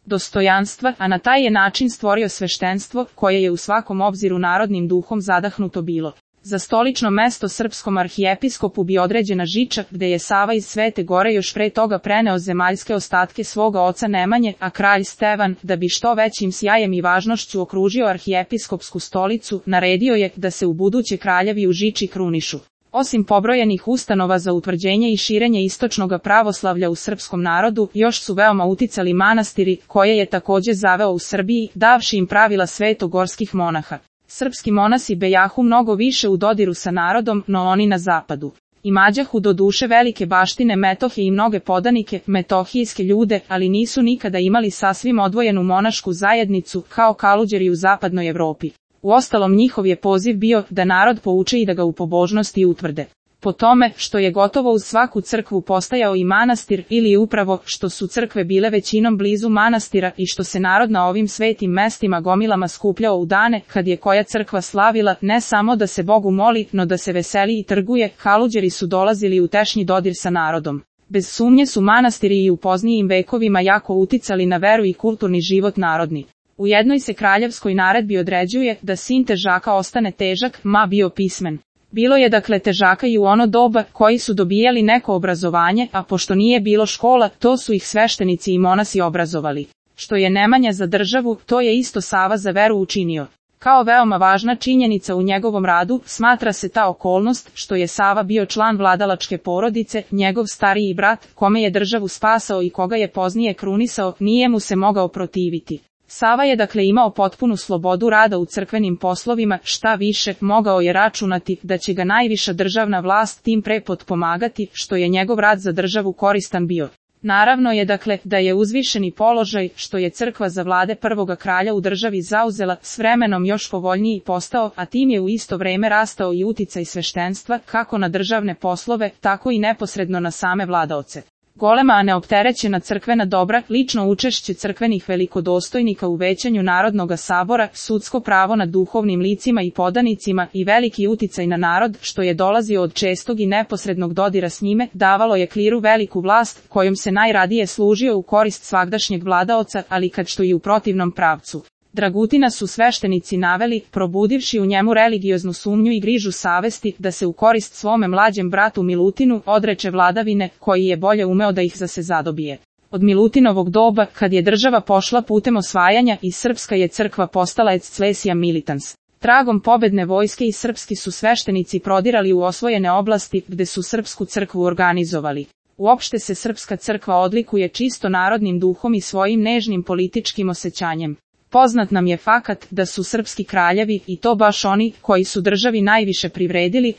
dostojanstva, a na taj je način stvorio sveštenstvo, koje je u svakom obziru narodnim duhom zadahnuto bilo. Za stolično mesto srpskom arhijepiskopu bi određena Žiča, gde je Sava iz Svete Gore još pre toga preneo zemaljske ostatke svoga oca Nemanje, a kralj Stevan, da bi što većim sjajem i važnošću okružio arhijepiskopsku stolicu, naredio je da se u buduće kraljevi u Žiči krunišu. Osim pobrojenih ustanova za utvrđenje i širenje istočnog pravoslavlja u srpskom narodu, još su veoma uticali manastiri, koje je takođe zaveo u Srbiji, davši im pravila svetogorskih monaha. Srpski monasi bejahu mnogo više u dodiru sa narodom, no oni na zapadu. Imađahu do duše velike baštine Metohe i mnoge podanike, metohijske ljude, ali nisu nikada imali sasvim odvojenu monašku zajednicu, kao kaluđeri u zapadnoj Evropi. Uostalom njihov je poziv bio da narod pouče i da ga u pobožnosti utvrde. Po tome, što je gotovo uz svaku crkvu postajao i manastir, ili upravo, što su crkve bile većinom blizu manastira i što se narod na ovim svetim mestima gomilama skupljao u dane, kad je koja crkva slavila, ne samo da se Bogu moli, no da se veseli i trguje, kaluđeri su dolazili u tešnji dodir sa narodom. Bez sumnje su manastiri i u poznijim vekovima jako uticali na veru i kulturni život narodni. U jednoj se kraljevskoj naredbi određuje da sin težaka ostane težak, ma bio pismen. Bilo je dakle težaka i u ono doba, koji su dobijali neko obrazovanje, a pošto nije bilo škola, to su ih sveštenici i monasi obrazovali. Što je Nemanja za državu, to je isto Sava za veru učinio. Kao veoma važna činjenica u njegovom radu, smatra se ta okolnost, što je Sava bio član vladalačke porodice, njegov stariji brat, kome je državu spasao i koga je poznije krunisao, nije mu se mogao protiviti. Sava je dakle imao potpunu slobodu rada u crkvenim poslovima, šta više, mogao je računati da će ga najviša državna vlast tim pre potpomagati, što je njegov rad za državu koristan bio. Naravno je dakle da je uzvišeni položaj, što je crkva za vlade prvoga kralja u državi zauzela, s vremenom još povoljniji postao, a tim je u isto vreme rastao i uticaj sveštenstva, kako na državne poslove, tako i neposredno na same vladaoce. Golema a neopterećena crkvena dobra, lično učešće crkvenih velikodostojnika u većanju Narodnoga sabora, sudsko pravo nad duhovnim licima i podanicima i veliki uticaj na narod, što je dolazio od čestog i neposrednog dodira s njime, davalo je kliru veliku vlast, kojom se najradije služio u korist svagdašnjeg vladaoca, ali kad što i u protivnom pravcu. Dragutina su sveštenici naveli, probudivši u njemu religioznu sumnju i grižu savesti, da se u korist svome mlađem bratu Milutinu odreče vladavine, koji je bolje umeo da ih za se zadobije. Od Milutinovog doba, kad je država pošla putem osvajanja i srpska je crkva postala exclesia militans. Tragom pobedne vojske i srpski su sveštenici prodirali u osvojene oblasti, gde su srpsku crkvu organizovali. Uopšte se srpska crkva odlikuje čisto narodnim duhom i svojim nežnim političkim osjećanjem. Poznat nam je fakat da su srpski kraljevi, i to baš oni, koji su državi najviše privredili,